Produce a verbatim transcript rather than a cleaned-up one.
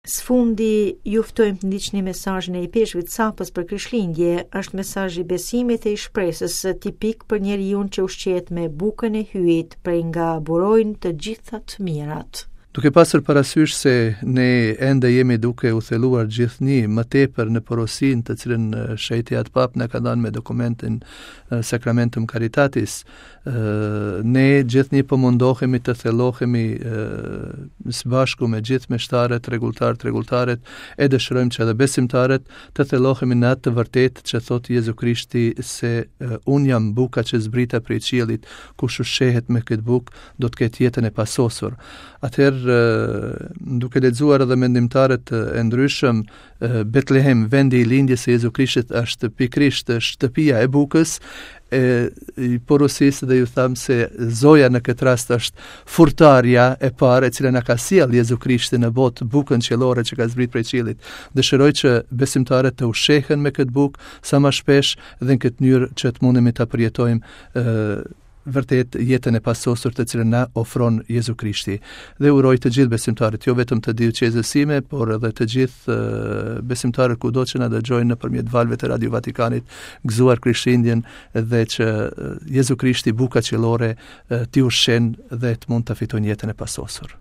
Së fundi, ju ftojmë të ndiqni mesazhin e Ipeshkvit Capës për Krishtlindje, është mesazh i besimit e i shpresës tipik për njeriun që ushqehet me bukën e Hyjit, prej nga burojnë të gjitha të mirat. Duke pasur parasysh se ne ende jemi duke u thelluar gjithnjë më tepër në porosinë të cilën Shenjti Atë Pap na ka dhënë me dokumentin Sacramentum Caritatis, ne gjithnjë po mundohemi të thellohemi së bashku me gjithë meshtarët, rregulltarët, rregulltaret, e dëshirojmë që edhe besimtarët të thellohemi në atë të vërtetë që thotë Jezu Krishti se unë jam buka që zbrita prej qiellit, kush ushqehet me këtë bukë do të ketë jetën e pasosur. Atëherë, duke lexuar edhe mendimtarët e ndryshëm, Betlehem, vendi i lindjes së Jezu Krishtit, është pikërisht shtëpia e bukës, e i porosisë dhe ju tham se Zoja në këtë rast është furtarja e parë e cila na ka sjellë Jezu Krishtin në botë, bukën qiellore që ka zbrit prej qiellit. Dëshiroj që besimtarët të ushqehen me këtë bukë sa më shpesh dhe në këtë mënyrë që të mundemi ta përjetojmë ë vërtet jetën e pasosur të cilën na ofron Jezu Krishti. Dhe uroj të gjithë besimtarët, jo vetëm të dioqezës sime, por edhe të gjithë besimtarët kudo që na dëgjojnë nëpërmjet valëve të Radio Vatikanit, gëzuar Krishtlindjen dhe që Jezu Krishti, buka qiellore, t'i ushqen dhe të mund të fitojnë jetën e pasosur.